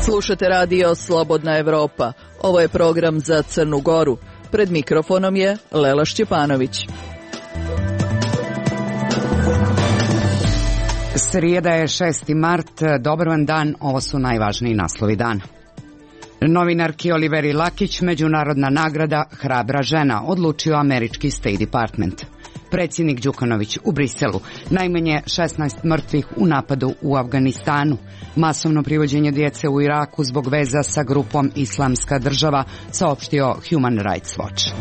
Slušate radio Slobodna Evropa. Ovo je program za Crnu Goru. Pred mikrofonom je Lela Šćepanović. Srijeda je 6. mart. Dobar vam dan, ovo su najvažniji naslovi dana. Novinarki Oliveri Lakić, međunarodna nagrada Hrabra žena, odlučio američki State Department. Predsjednik Đukanović u Briselu, najmanje 16 mrtvih u napadu u Afganistanu, masovno privođenje djece u Iraku zbog veza sa grupom Islamska država, saopštio Human Rights Watch.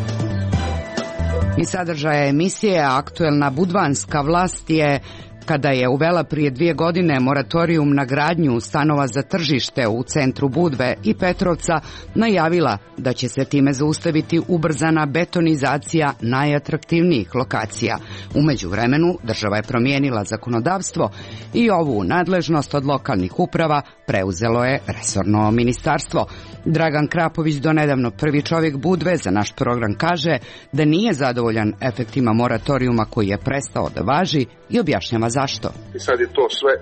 I sadržaja emisije, aktuelna budvanska vlast je, kada je uvela prije 2 godine moratorijum na gradnju stanova za tržište u centru Budve i Petrovca, najavila da će se time zaustaviti ubrzana betonizacija najatraktivnijih lokacija. U međuvremenu država je promijenila zakonodavstvo i ovu nadležnost od lokalnih uprava preuzelo je resorno ministarstvo. Dragan Krapović, donedavno prvi čovjek Budve, za naš program kaže da nije zadovoljan efektima moratorijuma koji je prestao da važi i objašnjava zašto. I sad je to sve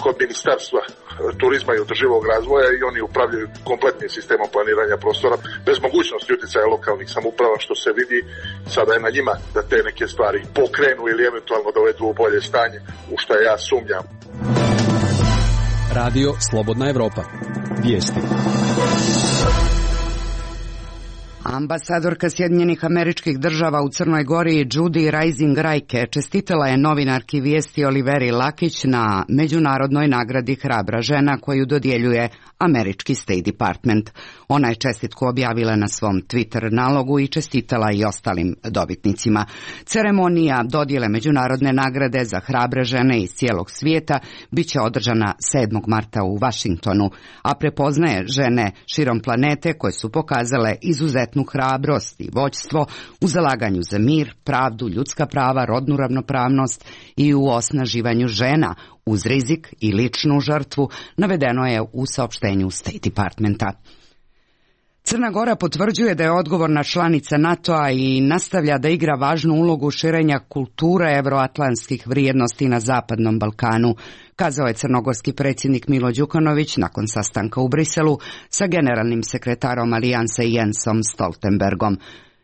kod ministarstva turizma i održivog razvoja i oni upravljaju kompletnim sistemom planiranja prostora bez mogućnosti utjecaja lokalnih samouprava, što se vidi. Sada je na njima da te neke stvari pokrenu ili eventualno dovedu u bolje stanje, u što ja sumnjam. Radio Slobodna Evropa. Vijesti. Ambasadorka Sjedinjenih Američkih Država u Crnoj Gori Judy Rising Rajke čestitala je novinarki Vijesti Oliveri Lakić na međunarodnoj nagradi Hrabra žena koju dodjeljuje američki State Department. Ona je čestitku objavila na svom Twitter nalogu i čestitala i ostalim dobitnicima. Ceremonija dodjele međunarodne nagrade za hrabre žene iz cijelog svijeta bit će održana 7. marta u Washingtonu, a prepoznaje žene širom planete koje su pokazale izuzetnu hrabrost i vođstvo u zalaganju za mir, pravdu, ljudska prava, rodnu ravnopravnost i u osnaživanju žena uz rizik i ličnu žrtvu, navedeno je u saopštenju State Departmenta. Crna Gora potvrđuje da je odgovorna članica NATO-a i nastavlja da igra važnu ulogu širenja kulture evroatlantskih vrijednosti na Zapadnom Balkanu, kazao je crnogorski predsjednik Milo Đukanović nakon sastanka u Briselu sa generalnim sekretarom Alijanse Jensom Stoltenbergom.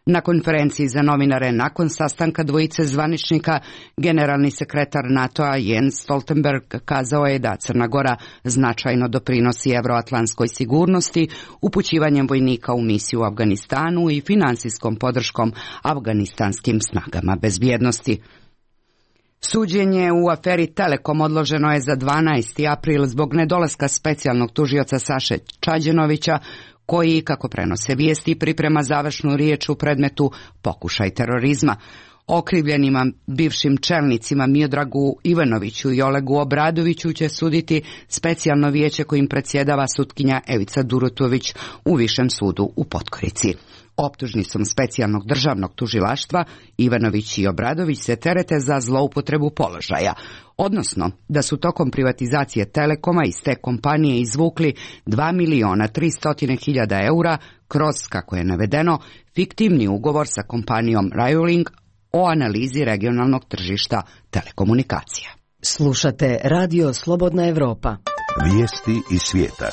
Na konferenciji za novinare nakon sastanka dvojice zvaničnika, generalni sekretar NATO-a Jens Stoltenberg kazao je da Crna Gora značajno doprinosi evroatlantskoj sigurnosti upućivanjem vojnika u misiju u Afganistanu i finansijskom podrškom afganistanskim snagama bezbjednosti. Suđenje u aferi Telekom odloženo je za 12. april zbog nedolaska specijalnog tužioca Saše Čađenovića, koji, kako prenose vijesti, priprema završnu riječ u predmetu pokušaj terorizma. Okrivljenima bivšim čelnicima Miodragu Ivanoviću i Olegu Obradoviću će suditi specijalno vijeće kojim predsjedava sutkinja Evica Durutović u Višem sudu u Podgorici. Optužnicom specijalnog državnog tužilaštva Ivanović i Obradović se terete za zloupotrebu položaja, odnosno da su tokom privatizacije Telekoma iz te kompanije izvukli 2.300.000 eura kroz, kako je navedeno, fiktivni ugovor sa kompanijom Railing o analizi regionalnog tržišta telekomunikacija. Slušate Radio Slobodna Evropa. Vijesti iz svijeta.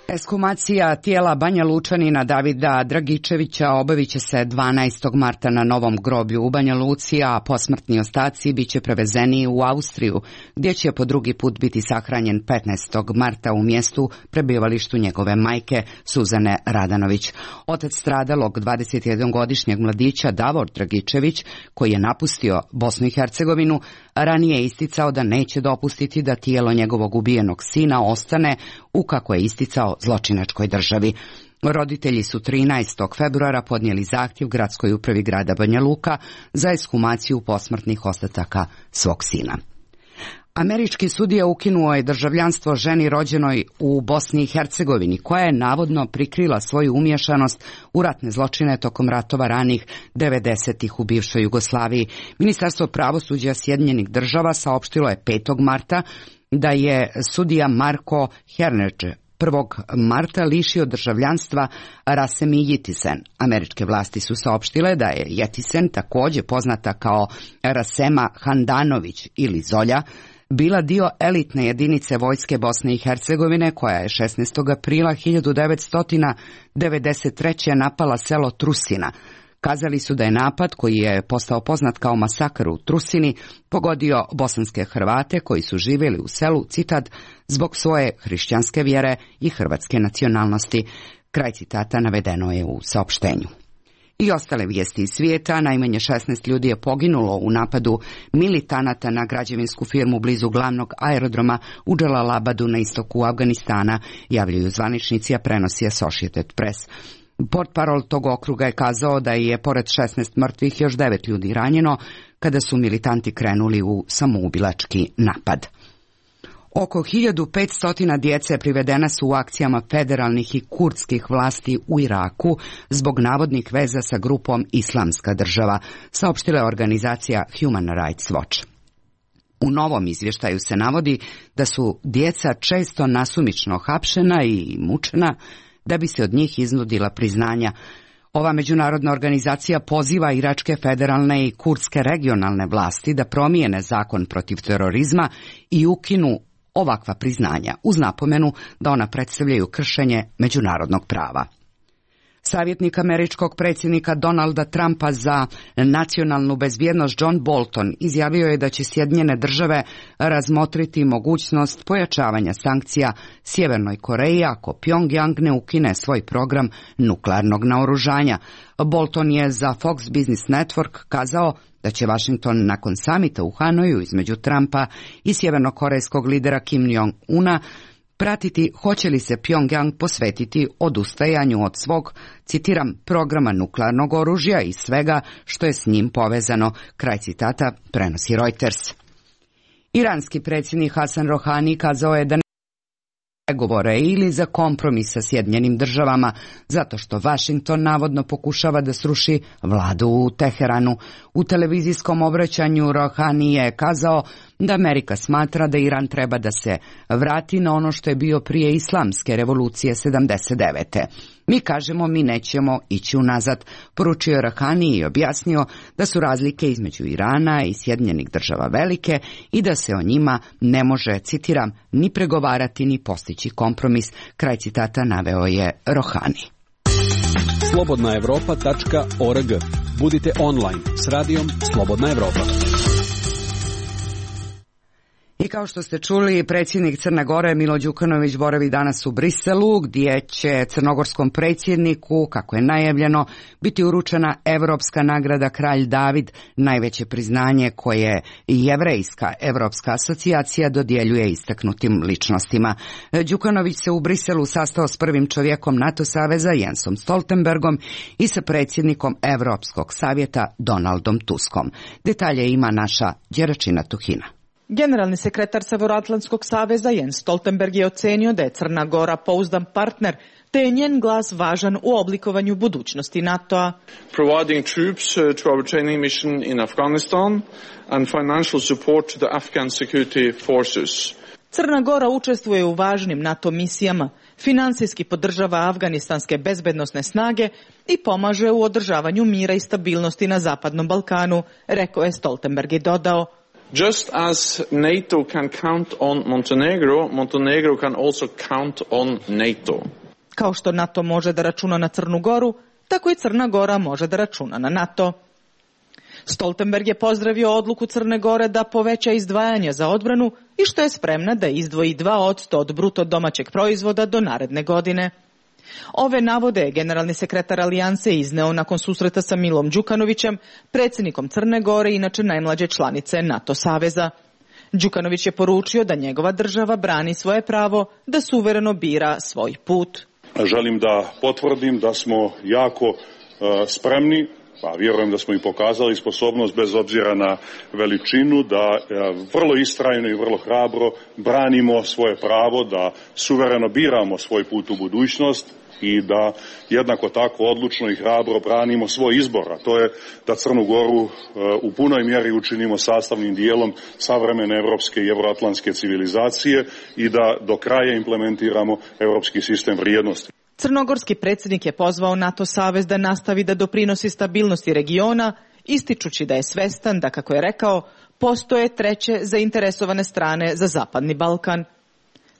Ekshumacija tijela Banja Lučanina Davida Dragičevića obavit će se 12. marta na Novom groblju u Banja Luci, a posmrtni ostaci bit će prevezeni u Austriju, gdje će po drugi put biti sahranjen 15. marta u mjestu prebivalištu njegove majke Suzane Radanović. Otac stradalog 21-godišnjeg mladića Davor Dragičević, koji je napustio Bosnu i Hercegovinu, ranije je isticao da neće dopustiti da tijelo njegovog ubijenog sina ostane u, kako je isticao, zločinačkoj državi. Roditelji su 13. februara podnijeli zahtjev gradskoj upravi grada Banja Luka za ekshumaciju posmrtnih ostataka svog sina. Američki sudija ukinuo je državljanstvo ženi rođenoj u Bosni i Hercegovini, koja je navodno prikrila svoju umješanost u ratne zločine tokom ratova ranih 90-ih u bivšoj Jugoslaviji. Ministarstvo pravosuđa Sjedinjenih Država saopštilo je 5. marta da je sudija Marko Hernedž 1. marta lišio državljanstva Rasemi Yitisen. Američke vlasti su saopštile da je Yitisen, također poznata kao Rasema Handanović ili Zolja, bila dio elitne jedinice vojske Bosne i Hercegovine koja je 16. aprila 1993. napala selo Trusina. Kazali su da je napad, koji je postao poznat kao masakr u Trusini, pogodio bosanske Hrvate koji su živjeli u selu, citat, zbog svoje hrišćanske vjere i hrvatske nacionalnosti. Kraj citata navedeno je u saopštenju. I ostale vijesti iz svijeta, najmanje 16 ljudi je poginulo u napadu militanata na građevinsku firmu blizu glavnog aerodroma u Dželalabadu na istoku Afganistana, javljaju zvaničnici, a prenosi Associated Press. Portparol tog okruga je kazao da je pored 16 mrtvih još 9 ljudi ranjeno kada su militanti krenuli u samoubilački napad. Oko 1500 djece privedena su u akcijama federalnih i kurdskih vlasti u Iraku zbog navodnih veza sa grupom Islamska država, saopštila je organizacija Human Rights Watch. U novom izvještaju se navodi da su djeca često nasumično hapšena i mučena da bi se od njih iznudila priznanja. Ova međunarodna organizacija poziva iračke federalne i kurdske regionalne vlasti da promijene zakon protiv terorizma i ukinu ovakva priznanja, uz napomenu da ona predstavljaju kršenje međunarodnog prava. Savjetnik američkog predsjednika Donalda Trumpa za nacionalnu bezbjednost John Bolton izjavio je da će Sjedinjene države razmotriti mogućnost pojačavanja sankcija Sjevernoj Koreji ako Pyongyang ne ukine svoj program nuklearnog naoružanja. Bolton je za Fox Business Network kazao da će Washington nakon samita u Hanoju između Trumpa i sjevernokorejskog lidera Kim Jong-una pratiti hoće li se Pyongyang posvetiti odustajanju od svog, citiram, programa nuklearnog oružja i svega što je s njim povezano, kraj citata prenosi Reuters. Iranski predsjednik Hasan Rohani kazao je da pregovore ili za kompromis sa Sjedinjenim državama, zato što Washington navodno pokušava da sruši vladu u Teheranu. U televizijskom obraćanju Rohani je kazao da Amerika smatra da Iran treba da se vrati na ono što je bio prije islamske revolucije 79. Mi kažemo mi nećemo ići unazad, poručio je Rohani i objasnio da su razlike između Irana i Sjedinjenih država velike i da se o njima ne može, citiram, ni pregovarati ni postići kompromis, kraj citata naveo je Rohani. Slobodnaevropa.org. Budite online s radijom Slobodna Evropa. I kao što ste čuli, predsjednik Crne Gore Milo Đukanović boravi danas u Briselu, gdje će crnogorskom predsjedniku, kako je najavljeno, biti uručena Evropska nagrada Kralj David, najveće priznanje koje Jevrejska Evropska asocijacija dodjeljuje istaknutim ličnostima. Đukanović se u Briselu sastao s prvim čovjekom NATO saveza Jensom Stoltenbergom i sa predsjednikom Europskog savjeta Donaldom Tuskom. Detalje ima naša Đeračina Tuhina. Generalni sekretar Severoatlantskog saveza Jens Stoltenberg je ocenio da je Crna Gora pouzdan partner, te je njen glas važan u oblikovanju budućnosti NATO-a. Providing troops to our training mission in Afghanistan and financial support to the Afghan security forces. Crna Gora učestvuje u važnim NATO misijama, financijski podržava afganistanske bezbednosne snage i pomaže u održavanju mira i stabilnosti na Zapadnom Balkanu, rekao je Stoltenberg i dodao: Just as NATO can count on Montenegro, Montenegro can also count on NATO. Kao što NATO može da računa na Crnu Goru, tako i Crna Gora može da računa na NATO. Stoltenberg je pozdravio odluku Crne Gore da poveća izdvajanja za odbranu i što je spremna da izdvoji 2% od bruto domaćeg proizvoda do naredne godine. Ove navode je generalni sekretar Alijanse izneo nakon susreta sa Milom Đukanovićem, predsjednikom Crne Gore, inače najmlađe članice NATO saveza. Đukanović je poručio da njegova država brani svoje pravo da suvereno bira svoj put. Želim da potvrdim da smo jako spremni Pa vjerujem da smo i pokazali sposobnost bez obzira na veličinu da vrlo istrajno i vrlo hrabro branimo svoje pravo, da suvereno biramo svoj put u budućnost i da jednako tako odlučno i hrabro branimo svoj izbor, a to je da Crnu Goru u punoj mjeri učinimo sastavnim dijelom savremene evropske i euroatlantske civilizacije i da do kraja implementiramo europski sistem vrijednosti. Crnogorski predsjednik je pozvao NATO savez da nastavi da doprinosi stabilnosti regiona, ističući da je svestan da, kako je rekao, postoje treće zainteresovane strane za Zapadni Balkan.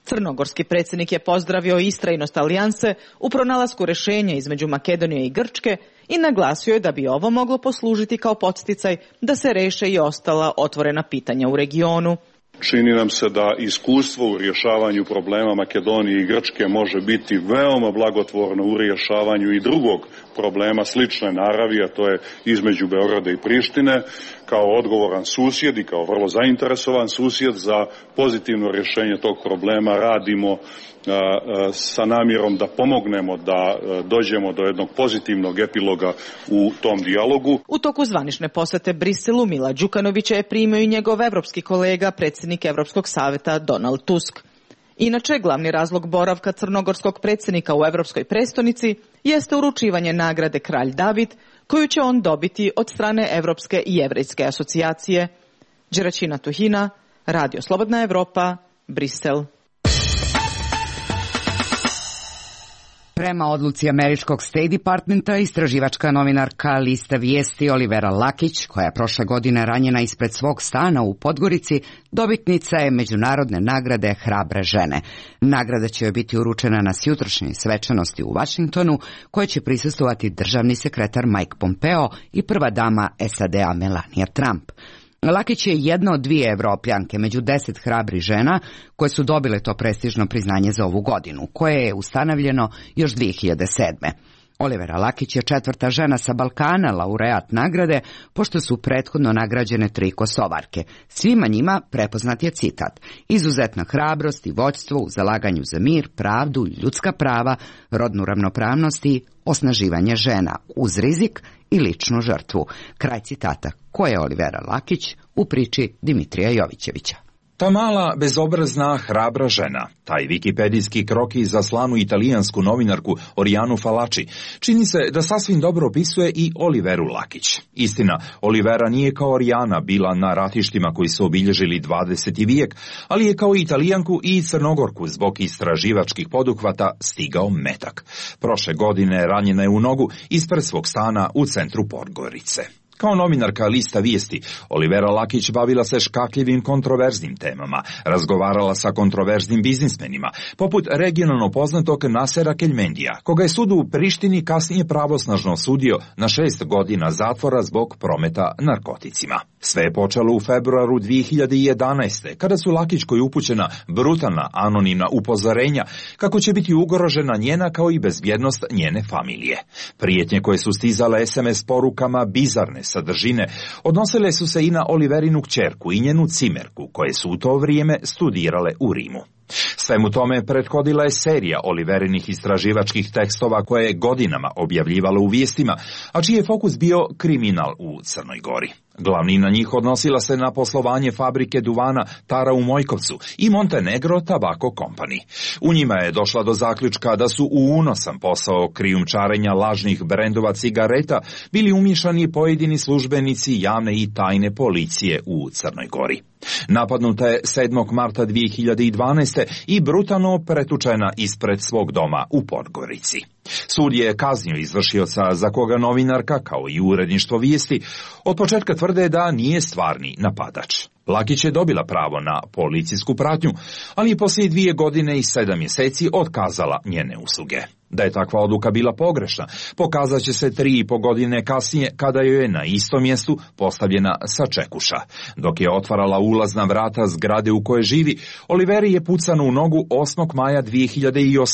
Crnogorski predsjednik je pozdravio istrajnost alijanse u pronalasku rješenja između Makedonije i Grčke i naglasio je da bi ovo moglo poslužiti kao podsticaj da se reše i ostala otvorena pitanja u regionu. Čini nam se da iskustvo u rješavanju problema Makedonije i Grčke može biti veoma blagotvorno u rješavanju i drugog problema slične naravi, a to je između Beograda i Prištine, kao odgovoran susjed i kao vrlo zainteresovan susjed za pozitivno rješenje tog problema radimo sa namjerom da pomognemo da dođemo do jednog pozitivnog epiloga u tom dijalogu. U toku zvanične posjete Briselu Mila Đukanovića je primio i njegov evropski kolega, predsjednik Evropskog savjeta Donald Tusk. Inače, glavni razlog boravka crnogorskog predsjednika u Evropskoj prestonici jeste uručivanje nagrade Kralj David, koju će on dobiti od strane Evropske i Jevrejske asocijacije. Đeračina Tuhina, Radio Slobodna Evropa, Brisel. Prema odluci američkog State Departmenta, istraživačka novinarka lista vijesti Olivera Lakić, koja je prošle godine ranjena ispred svog stana u Podgorici, dobitnica je međunarodne nagrade Hrabre žene. Nagrada će joj biti uručena na sjutrošnjoj svečanosti u Washingtonu, koje će prisustvovati državni sekretar Mike Pompeo i prva dama SAD-a Melania Trump. Lakić je jedna od 2 Evropljanke među 10 hrabrih žena koje su dobile to prestižno priznanje za ovu godinu, koje je ustanovljeno još 2007. Olivera Lakić je 4. žena sa Balkana laureat nagrade, pošto su prethodno nagrađene 3 Kosovarke. Svima njima prepoznat je citat: izuzetna hrabrost i vođstvo u zalaganju za mir, pravdu, ljudska prava, rodnu ravnopravnost i osnaživanje žena uz rizik i ličnu žrtvu. Kraj citata. Ko je Olivera Lakić u priči Dimitrija Jovićevića? Ta mala, bezobrazna, hrabra žena, taj wikipedijski krokiz za slanu italijansku novinarku Orianu Falaci, čini se da sasvim dobro opisuje i Oliveru Lakić. Istina, Olivera nije kao Orijana bila na ratištima koji su obilježili 20. vijek, ali je kao Italijanku i Crnogorku zbog istraživačkih poduhvata stigao metak. Prošle godine ranjena je u nogu ispred svog stana u centru Podgorice. Kao novinarka lista vijesti, Olivera Lakić bavila se škakljivim kontroverznim temama, razgovarala sa kontroverznim biznismenima, poput regionalno poznatog Nasera Keljmendija, koga je sud u Prištini kasnije pravosnažno osudio na 6 godina zatvora zbog prometa narkoticima. Sve je počelo u februaru 2011. kada su Lakićkoj upućena brutalna anonimna upozorenja kako će biti ugrožena njena kao i bezbjednost njene familije. Prijetnje koje su stizale SMS porukama bizarne sadržine odnosile su se i na Oliverinu kćerku i njenu cimerku, koje su u to vrijeme studirale u Rimu. Svemu tome prethodila je serija Oliverinih istraživačkih tekstova koje je godinama objavljivala u vijestima, a čiji je fokus bio kriminal u Crnoj Gori. Glavnina njih odnosila se na poslovanje fabrike duvana Tara u Mojkovcu i Montenegro Tobacco Company. U njima je došla do zaključka da su u unosan posao krijumčarenja lažnih brendova cigareta bili umiješani pojedini službenici javne i tajne policije u Crnoj Gori. Napadnuta je 7. marta 2012. i brutalno pretučena ispred svog doma u Podgorici. Sud je kaznio izvršioca za koga novinarka, kao i uredništvo vijesti, od početka tvrde da nije stvarni napadač. Lakić je dobila pravo na policijsku pratnju, ali je poslije 2 godine i 7 mjeseci otkazala njene usluge. Da je takva odluka bila pogrešna, pokazat će se 3,5 godine kasnije kada joj je na istom mjestu postavljena sačekuša. Dok je otvarala ulazna vrata zgrade u kojoj živi, Oliveri je pucano u nogu 8. maja 2018.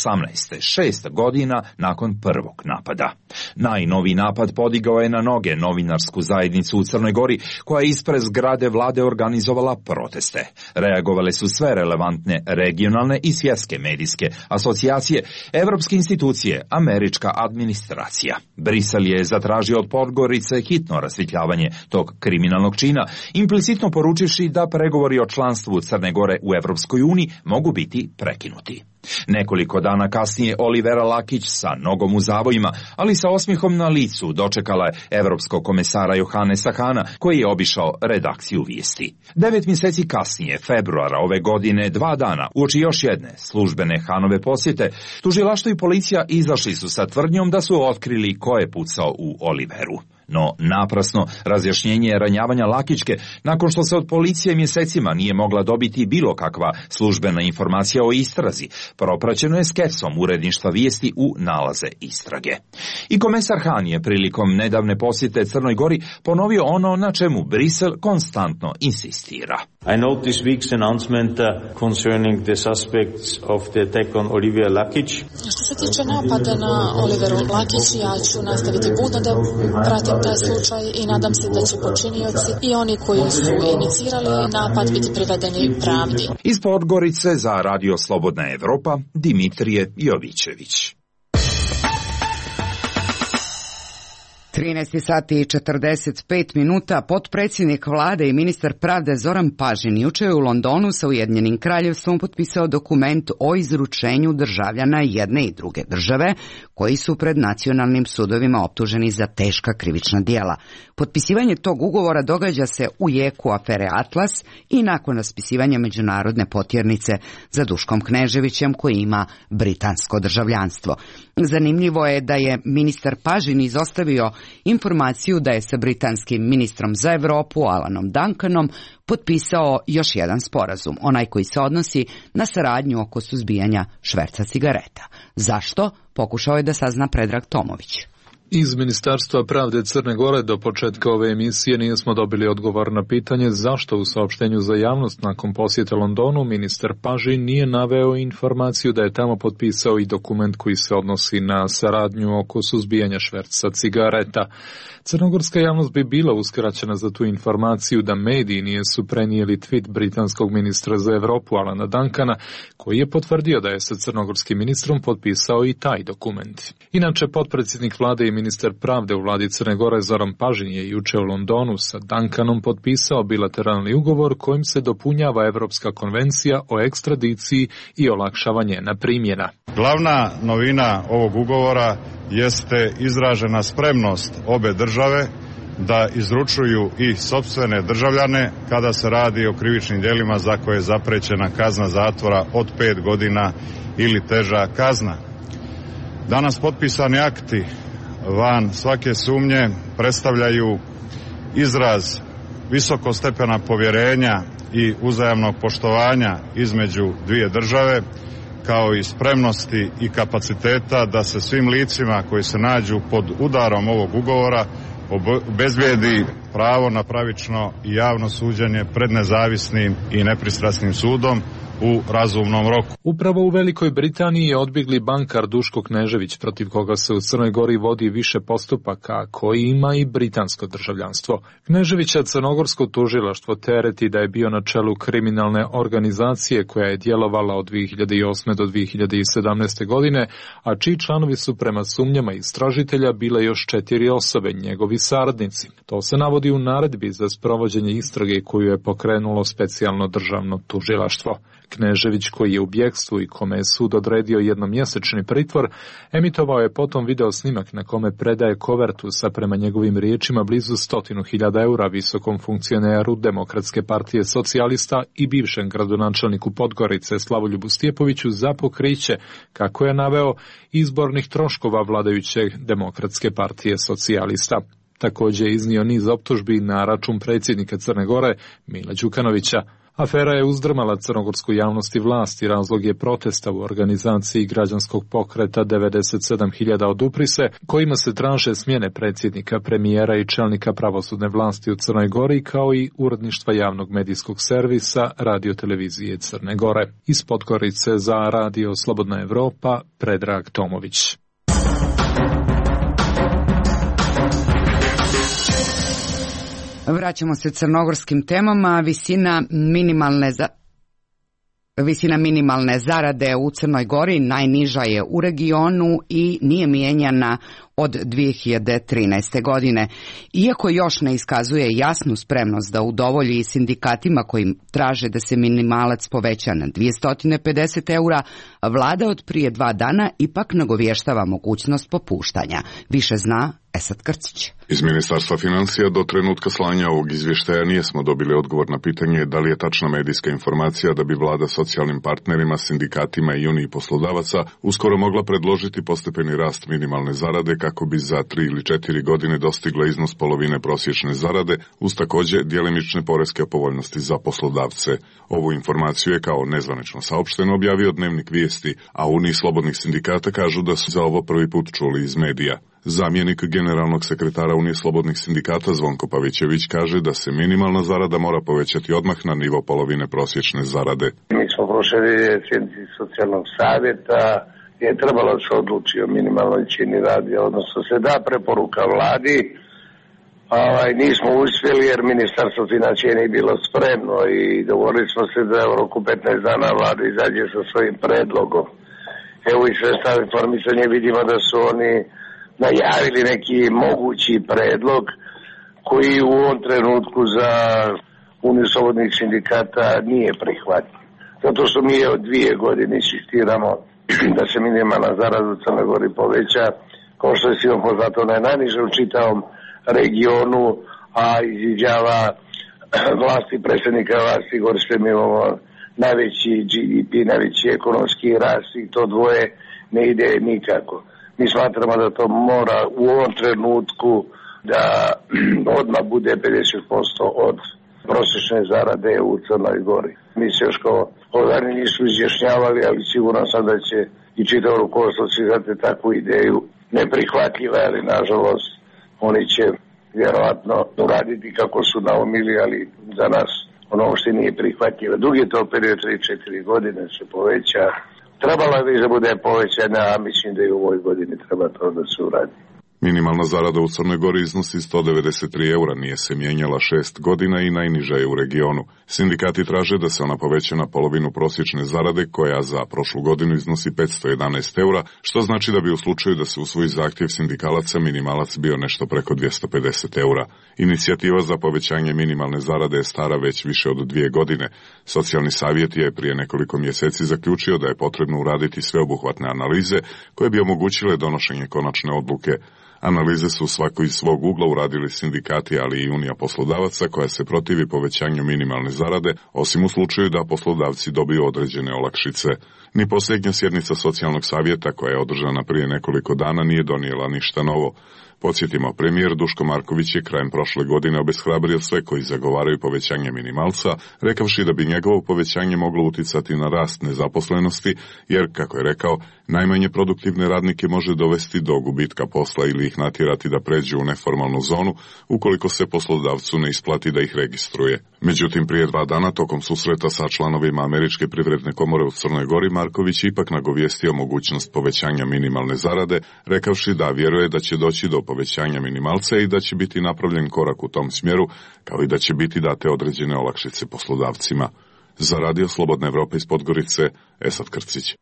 6 godina nakon prvog napada. Najnoviji napad podigao je na noge novinarsku zajednicu u Crnoj Gori, koja je ispred zgrade vlade organizovala organizovala proteste. Reagovale su sve relevantne regionalne i svjetske medijske asocijacije, evropske institucije, američka administracija. Brisel je zatražio od Podgorice hitno rasvjetljavanje tog kriminalnog čina, implicitno poručivši da pregovori o članstvu Crne Gore u Evropskoj uniji mogu biti prekinuti. Nekoliko dana kasnije Olivera Lakić sa nogom u zavojima, ali sa osmijehom na licu dočekala je evropskog komesara Johannesa Hana, koji je obišao redakciju vijesti. 9 mjeseci kasnije, februara ove godine, 2 dana, uoči još jedne službene Hanove posjete, tužilaštvo i policija izašli su sa tvrdnjom da su otkrili ko je pucao u Oliveru. No, naprasno razjašnjenje ranjavanja Lakićke, nakon što se od policije mjesecima nije mogla dobiti bilo kakva službena informacija o istrazi, propraćeno je skepsom uredništva vijesti u nalaze istrage. I komesar Han je prilikom nedavne posjete Crnoj Gori ponovio ono na čemu Brisel konstantno insistira. I note this week's announcement concerning the suspects of the attack on Olivia Lakić. Što se tiče napada na Oliveru Lakić, ja ću nastaviti budno da pratim taj slučaj i nadam se da će počinioci i oni koji su inicirali napad biti privedeni pravdi. Iz Podgorice za Radio Slobodna Evropa, Dimitrije Jovićević. 13 sati i 45 minuta, potpredsjednik vlade i ministar pravde Zoran Pažin jučer je u Londonu sa Ujedinjenim kraljevstvom potpisao dokument o izručenju državljana jedne i druge države koji su pred nacionalnim sudovima optuženi za teška krivična djela. Potpisivanje tog ugovora događa se u jeku afere Atlas i nakon raspisivanja međunarodne potjernice za Duškom Kneževićem koji ima britansko državljanstvo. Zanimljivo je da je ministar Pažin izostavio informaciju da je sa britanskim ministrom za Europu Alanom Duncanom potpisao još jedan sporazum, onaj koji se odnosi na saradnju oko suzbijanja šverca cigareta. Zašto? Pokušao je da sazna Predrag Tomović. Iz Ministarstva pravde Crne Gore do početka ove emisije nismo dobili odgovor na pitanje zašto u saopštenju za javnost nakon posjete Londonu ministar Pažin nije naveo informaciju da je tamo potpisao i dokument koji se odnosi na saradnju oko suzbijanja šverca cigareta. Crnogorska javnost bi bila uskraćena za tu informaciju da mediji nisu prenijeli tweet britanskog ministra za Europu Alana Duncana, koji je potvrdio da je sa crnogorskim ministrom potpisao i taj dokument. Inače, potpredsjednik vlade i ministar pravde u vladi Crne Gore Zoran Pažin je juče u Londonu sa Duncanom potpisao bilateralni ugovor kojim se dopunjava Evropska konvencija o ekstradiciji i olakšava njena primjena. Glavna novina ovog ugovora jeste izražena spremnost obe države da izručuju i sopstvene državljane kada se radi o krivičnim djelima za koje je zaprećena kazna zatvora od 5 godina ili teža kazna. Danas potpisani akti van svake sumnje predstavljaju izraz visokog stepena povjerenja i uzajamnog poštovanja između dvije države, kao i spremnosti i kapaciteta da se svim licima koji se nađu pod udarom ovog ugovora obezbijedi pravo na pravično i javno suđenje pred nezavisnim i nepristrasnim sudom u razumnom roku. Upravo u Velikoj Britaniji je odbjegli bankar Duško Knežević, protiv koga se u Crnoj Gori vodi više postupaka, koji ima i britansko državljanstvo. Kneževića crnogorsko tužilaštvo tereti da je bio na čelu kriminalne organizacije koja je djelovala od 2008. do 2017. godine, a čiji članovi su prema sumnjama istražitelja bile još 4 osobe, njegovi saradnici. To se navodi u naredbi za sprovođenje istrage koju je pokrenulo specijalno državno tužilaštvo. Knežević, koji je u bjegstvu i kome je sud odredio jednomjesečni pritvor, emitovao je potom video snimak na kome predaje kovertu sa, prema njegovim riječima, blizu 100.000 eura visokom funkcioneru Demokratske partije socijalista i bivšem gradonačelniku Podgorice Slavoljubu Stjepoviću za pokriće, kako je naveo, izbornih troškova vladajuće Demokratske partije socijalista. Također je iznio niz optužbi na račun predsjednika Crne Gore Mila Đukanovića. Afera je uzdrmala crnogorsku javnost i vlast i razlog je protesta u organizaciji građanskog pokreta 97.000 odupri se, kojima se traže smjene predsjednika, premijera i čelnika pravosudne vlasti u Crnoj Gori, kao i uredništva javnog medijskog servisa radiotelevizije Crne Gore. Iz Podgorice za Radio Slobodna Evropa, Predrag Tomović. Vraćamo se crnogorskim temama. Visina minimalne zarade u Crnoj Gori najniža je u regionu i nije mijenjana od 2013. godine. Iako još ne iskazuje jasnu spremnost da udovolji sindikatima koji traže da se minimalac poveća na 250 eura, vlada od prije 2 dana ipak nagovještava mogućnost popuštanja. Više zna Esad Krcić. Iz Ministarstva financija do trenutka slanja ovog izvještaja nismo dobili odgovor na pitanje da li je tačna medijska informacija da bi vlada socijalnim partnerima, sindikatima i uniji poslodavaca uskoro mogla predložiti postepeni rast minimalne zarade kako bi za 3 ili 4 godine dostigla iznos polovine prosječne zarade uz također djelimične poreske povoljnosti za poslodavce. Ovu informaciju je kao nezvanično saopšteno objavio Dnevnik Vijesti, a Uniji slobodnih sindikata kažu da su za ovo prvi put čuli iz medija. Zamjenik generalnog sekretara Unije slobodnih sindikata Zvonko Pavićević kaže da se minimalna zarada mora povećati odmah na nivo polovine prosječne zarade. Mi smo prošli sjednici socijalnog savjeta je trebalo da se odluči o minimalnoj cijeni rada, odnosno se da preporuka vladi. Nismo uspjeli jer ministarstvo financija nije bilo spremno i dogovorili smo se da u roku 15 dana vlada izađe sa svojim predlogom. Evo i sredstva informisanja vidimo da su oni najavili neki mogući predlog koji u ovom trenutku za Uniju slobodnih sindikata nije prihvatljiv. Zato što mi od 2 godine insistiramo da se minimalna zarada u Crnoj Gori poveća, kao što je svima poznato, ona je najniža u čitavom regionu, a izviđava vlasti, predsjednika vlasti, gore što mi imamo najveći GDP, najveći ekonomski rast i to dvoje ne ide nikako. Mi smatramo da to mora u ovom trenutku da odmah bude 50% od prosječne zarade u Crnoj Gori. Mi se još kao organi nisu izjašnjavali, ali siguran sam da će i čitavo rukovodstvo svi takvu ideju neprihvatljiva, ali nažalost oni će vjerojatno uraditi kako su naumili, ali za nas ono što nije prihvatljivo. Dug je to period 3-4 godine se poveća. Trebalo je da bude povećana, a mislim da i u ovoj godini treba to da se uradi. Minimalna zarada u Crnoj Gori iznosi 193 eura, nije se mijenjala 6 godina i najniža je u regionu. Sindikati traže da se ona poveća na polovinu prosječne zarade koja za prošlu godinu iznosi 511 eura, što znači da bi u slučaju da se usvoji zahtjev sindikalaca minimalac bio nešto preko 250 eura. Inicijativa za povećanje minimalne zarade je stara već više od 2 godine. Socijalni savjet je prije nekoliko mjeseci zaključio da je potrebno uraditi sveobuhvatne analize koje bi omogućile donošenje konačne odluke. Analize su svako iz svog ugla uradili sindikati, ali i Unija poslodavaca koja se protivi povećanju minimalne zarade, osim u slučaju da poslodavci dobiju određene olakšice. Ni posljednja sjednica socijalnog savjeta koja je održana prije nekoliko dana nije donijela ništa novo. Podsjetimo, premijer Duško Marković je krajem prošle godine obeshrabrio sve koji zagovaraju povećanje minimalca, rekavši da bi njegovo povećanje moglo uticati na rast nezaposlenosti, jer, kako je rekao, najmanje produktivne radnike može dovesti do gubitka posla ili ih natjerati da pređu u neformalnu zonu, ukoliko se poslodavcu ne isplati da ih registruje. Međutim, prije 2 dana tokom susreta sa članovima Američke privredne komore u Crnoj Gori, Marković ipak nagovijestio mogućnost povećanja minimalne zarade, rekavši da vjeruje da će doći do povećanja minimalca i da će biti napravljen korak u tom smjeru, kao i da će biti date određene olakšice poslodavcima. Za Radio Slobodna Evropa iz Podgorice, Esad Krcić.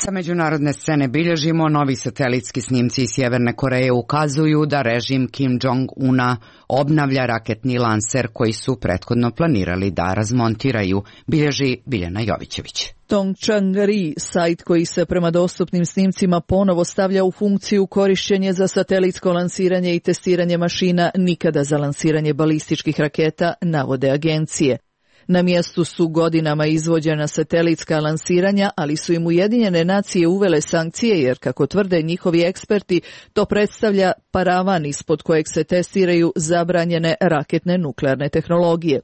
Sa međunarodne scene bilježimo, novi satelitski snimci iz Sjeverne Koreje ukazuju da režim Kim Jong-una obnavlja raketni lanser koji su prethodno planirali da razmontiraju, bilježi Biljana Jovićević. Tongchang-ri, sajt koji se prema dostupnim snimcima ponovo stavlja u funkciju korišćenje za satelitsko lansiranje i testiranje mašina nikada za lansiranje balističkih raketa, navode agencije. Na mjestu su godinama izvođena satelitska lansiranja, ali su im Ujedinjene nacije uvele sankcije jer, kako tvrde njihovi eksperti, to predstavlja paravan ispod kojeg se testiraju zabranjene raketne nuklearne tehnologije.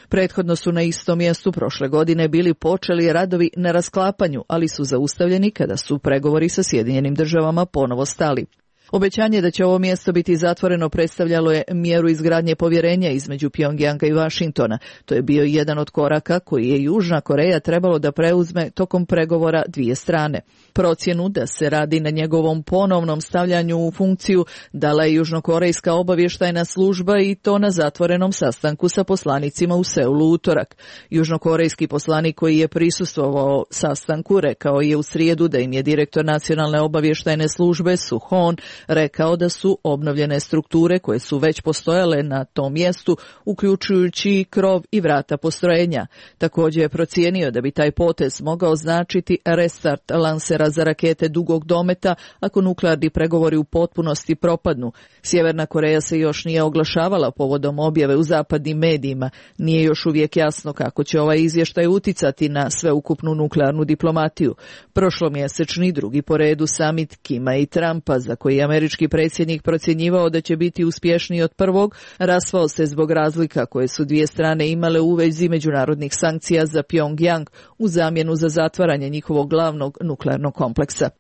Prethodno su na istom mjestu prošle godine bili počeli radovi na rasklapanju, ali su zaustavljeni kada su pregovori sa Sjedinjenim državama ponovo stali. Obećanje da će ovo mjesto biti zatvoreno predstavljalo je mjeru izgradnje povjerenja između Pjongjanga i Vašingtona. To je bio jedan od koraka koji je Južna Koreja trebalo da preuzme tokom pregovora dvije strane. Procjenu da se radi na njegovom ponovnom stavljanju u funkciju dala je južnokorejska obavještajna služba i to na zatvorenom sastanku sa poslanicima u Seulu utorak. Južnokorejski poslanik koji je prisustvovao sastanku rekao je u srijedu da im je direktor nacionalne obavještajne službe Suhon rekao da su obnovljene strukture koje su već postojale na tom mjestu, uključujući krov i vrata postrojenja. Također je procijenio da bi taj potez mogao značiti restart lansera za rakete dugog dometa ako nuklearni pregovori u potpunosti propadnu. Sjeverna Koreja se još nije oglašavala povodom objave u zapadnim medijima. Nije još uvijek jasno kako će ovaj izvještaj uticati na sveukupnu nuklearnu diplomatiju. Prošlomjesečni drugi po redu samit Kima i Trumpa, za koji je američki predsjednik procjenjivao da će biti uspješniji od prvog, raspao se zbog razlika koje su dvije strane imale u vezi međunarodnih sankcija za Pjongjang u zamjenu za zatvaranje njihovog glavnog nuklearnog kompleksa.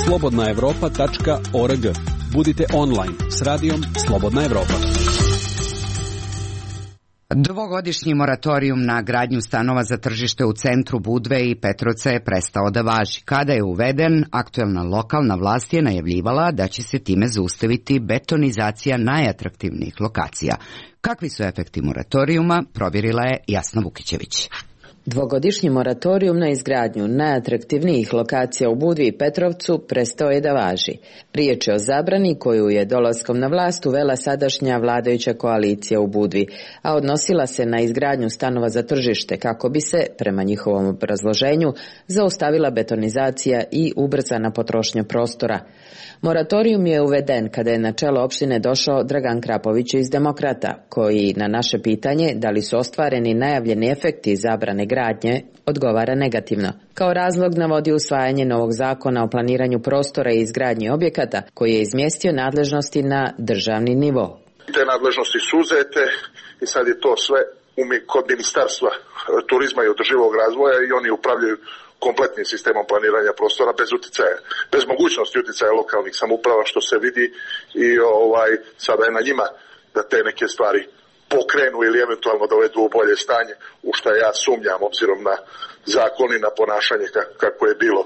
slobodnaevropa.org. Budite online s radijom Slobodna Evropa. Dvogodišnji moratorijum na gradnju stanova za tržište u centru Budve i Petrovca je prestao da važi. Kada je uveden, aktuelna lokalna vlast je najavljivala da će se time zaustaviti betonizacija najatraktivnijih lokacija. Kakvi su efekti moratorijuma, provjerila je Jasna Vukićević. Dvogodišnji moratorijum na izgradnju najatraktivnijih lokacija u Budvi i Petrovcu prestao je da važi. Riječ je o zabrani koju je dolaskom na vlast uvela sadašnja vladajuća koalicija u Budvi, a odnosila se na izgradnju stanova za tržište kako bi se, prema njihovom obrazloženju, zaustavila betonizacija i ubrzana potrošnja prostora. Moratorijum je uveden kada je na čelo opštine došao Dragan Krapović iz Demokrata, koji na naše pitanje da li su ostvareni najavljeni efekti zabrane gradnje odgovara negativno. Kao razlog navodi usvajanje novog zakona o planiranju prostora i izgradnji objekata koji je izmjestio nadležnosti na državni nivo. Te nadležnosti su uzete i sad je to sve kod Ministarstva turizma i održivog razvoja i oni upravljaju kompletnim sistemom planiranja prostora bez uticaja, bez mogućnosti uticaja lokalnih samouprava, što se vidi i sada je na njima da te neke stvari pokrenu ili eventualno dovedu u bolje stanje, u što ja sumnjam obzirom na zakon i na ponašanje kako je bilo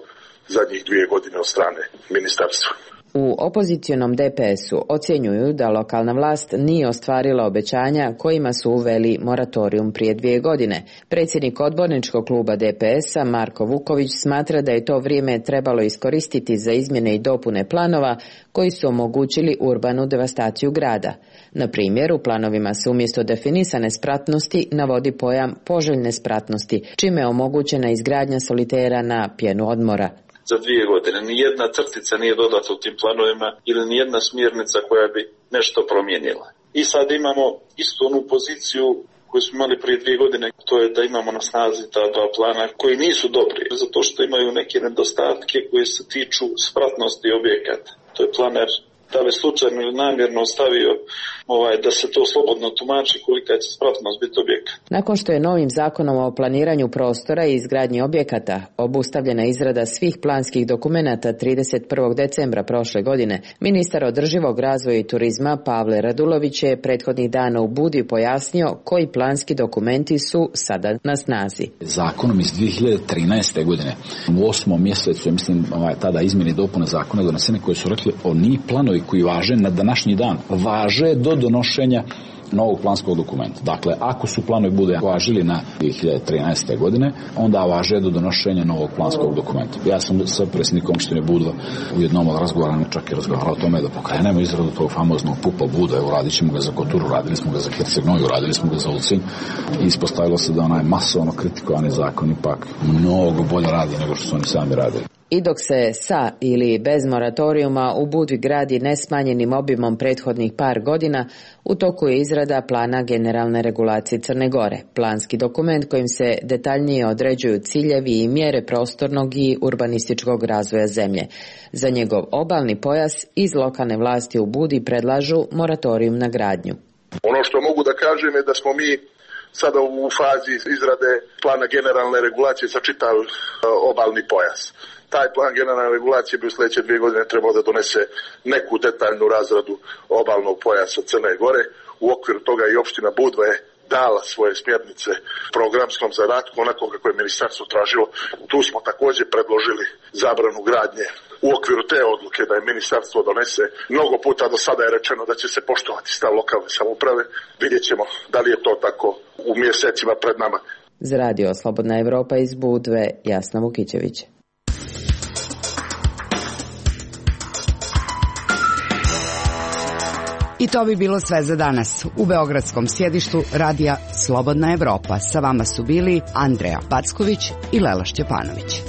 zadnjih 2 godine od strane ministarstva. U opozicionom DPS-u ocjenjuju da lokalna vlast nije ostvarila obećanja kojima su uveli moratorijum prije 2 godine. Predsjednik odborničkog kluba DPS-a Marko Vuković smatra da je to vrijeme trebalo iskoristiti za izmjene i dopune planova koji su omogućili urbanu devastaciju grada. Na primjer, u planovima se umjesto definisane spratnosti navodi pojam poželjne spratnosti, čime je omogućena izgradnja solitera na pjenu odmora. Za 2 godine nijedna crtica nije dodata u tim planovima ili nijedna smjernica koja bi nešto promijenila. I sad imamo istu onu poziciju koju smo imali prije 2 godine, to je da imamo na snazi ta 2 plana koji nisu dobri, zato što imaju neke nedostatke koje se tiču spratnosti objekata. To je planer da li slučajno ili namjerno ostavio da se to slobodno tumači kolika će spratnost biti objekta. Nakon što je novim zakonom o planiranju prostora i izgradnji objekata obustavljena izrada svih planskih dokumenata 31. decembra prošle godine, ministar održivog razvoja i turizma Pavle Radulović je prethodnih dana u Budvi pojasnio koji planski dokumenti su sada na snazi. Zakonom iz 2013. godine u 8. mjesecu, mislim, tada izmjene i dopune zakona donesene koje su rekli oni planovi koji važe na današnji dan važe do donošenja novog planskog dokumenta. Dakle, ako su planovi bude važili na 2013. godine, onda važe do donošenja novog planskog dokumenta. Ja sam sa predsjednikom opštine Budva u jednom od razgovora čak i razgovarao o tome da pokrenemo izradu tog famoznog PUP-a Buda. Uradit ćemo ga za Koturu, radili smo ga za Herceg-Novi, radili smo ga za Ulcinj i ispostavilo se da onaj masovno kritikovani zakon ipak mnogo bolje radi nego što su oni sami radili. I dok se sa ili bez moratorijuma u Budvi gradi nesmanjenim obimom prethodnih par godina, u toku je izrada plana generalne regulacije Crne Gore, planski dokument kojim se detaljnije određuju ciljevi i mjere prostornog i urbanističkog razvoja zemlje. Za njegov obalni pojas iz lokalne vlasti u Budvi predlažu moratorijum na gradnju. Ono što mogu da kažem je da smo mi sada u fazi izrade plana generalne regulacije za čitav obalni pojas. Taj plan generalne regulacije bi u sljedeće 2 godine trebao da donese neku detaljnu razradu obalnog pojasa Crne Gore. U okviru toga i opština Budva je dala svoje smjernice programskom zadatku, onako kako je ministarstvo tražilo. Tu smo također predložili zabranu gradnje. U okviru te odluke da je ministarstvo donese, mnogo puta do sada je rečeno da će se poštovati stav lokalne samouprave. Vidjet ćemo da li je to tako u mjesecima pred nama. Za radio Slobodna Evropa iz Budve, Jasna Vukićević. I to bi bilo sve za danas. U beogradskom sjedištu radija Slobodna Evropa sa vama su bili Andreja Packović i Lela Šćepanović.